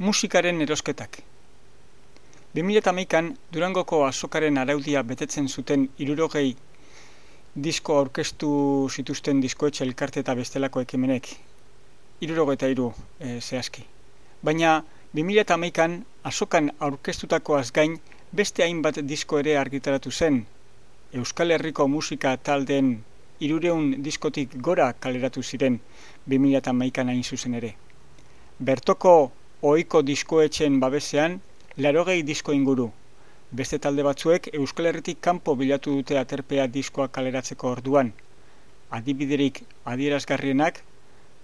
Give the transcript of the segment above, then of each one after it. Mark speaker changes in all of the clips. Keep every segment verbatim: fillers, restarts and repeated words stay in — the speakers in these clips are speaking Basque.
Speaker 1: Musikaren erosketak. bi mila hamaikan Durangoko azokaren araudia betetzen zuten hirurogei disko aurkeztu zituzten diskoetxe elkarte eta bestelako ekimenek. hirurogeita hiru e, zehazki. Baina bi mila hamaikan azokan aurkeztutakoaz gain beste hainbat disko ere argitaratu zen. Euskal Herriko musika taldeen hirurehun diskotik gora kaleratu ziren bi mila hamaikan hain zuzen ere. Bertoko ohiko diskoetxeen babesean laurogei disko inguru. Beste talde batzuek Euskal Herritik kanpo bilatu dute aterpea diskoa kaleratzeko orduan. Adibiderik adierazgarrienak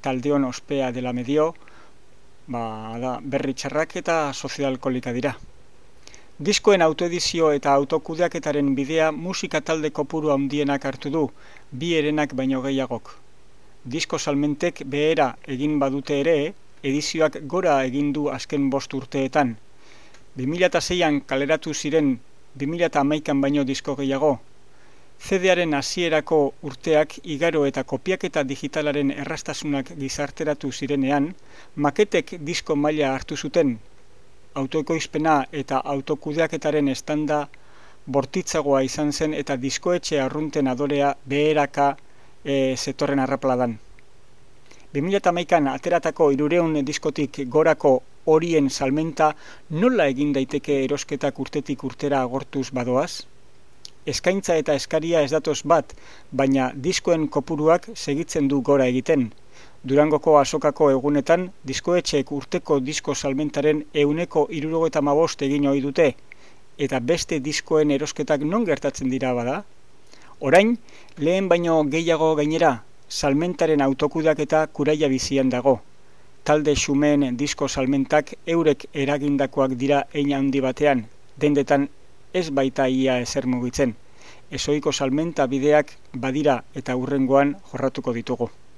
Speaker 1: taldeon ospea dela medio, ba, da, berri txarrak eta sozialkolika dira. Diskoen autoedizio eta autokudeaketaren bidea musika talde kopuru handienak hartu du, bi herenak baino gehiagok. Disko salmentek behera egin badute ere, edizioak gora egin du azken bost urteetan. bi mila seian kaleratu ziren bi mila hamaikan baino disko gehiago. C D-aren hasierako urteak igaro eta kopiaketa digitalaren errastasunak gizarteratu zirenean, maketek disko maila hartu zuten. Autoekoizpena eta autokudeaketaren estanda bortitzagoa izan zen eta diskoetxe arrunten adorea beheraka e, zetorren arrapladan. bi mila hamaikan ateratako hirurehun diskotik gorako horien salmenta nola egin daiteke erosketak urtetik urtera agortuz badoaz? Eskaintza eta eskaria ez datoz bat, baina diskoen kopuruak segitzen du gora egiten. Durangoko azokako egunetan, diskoetxeek urteko disko salmentaren ehuneko hirurogeita hamabost egin ohi dute, eta beste diskoen erosketak non gertatzen dira bada? Orain, lehen baino gehiago gainera, salmentaren autokudeaketa kuraia bizian dago. Talde xumeen disko salmentak eurek eragindakoak dira hein handi batean, dendetan ez baita ia ezer mugitzen. Ezohiko salmenta bideak badira eta hurrengoan jorratuko ditugu.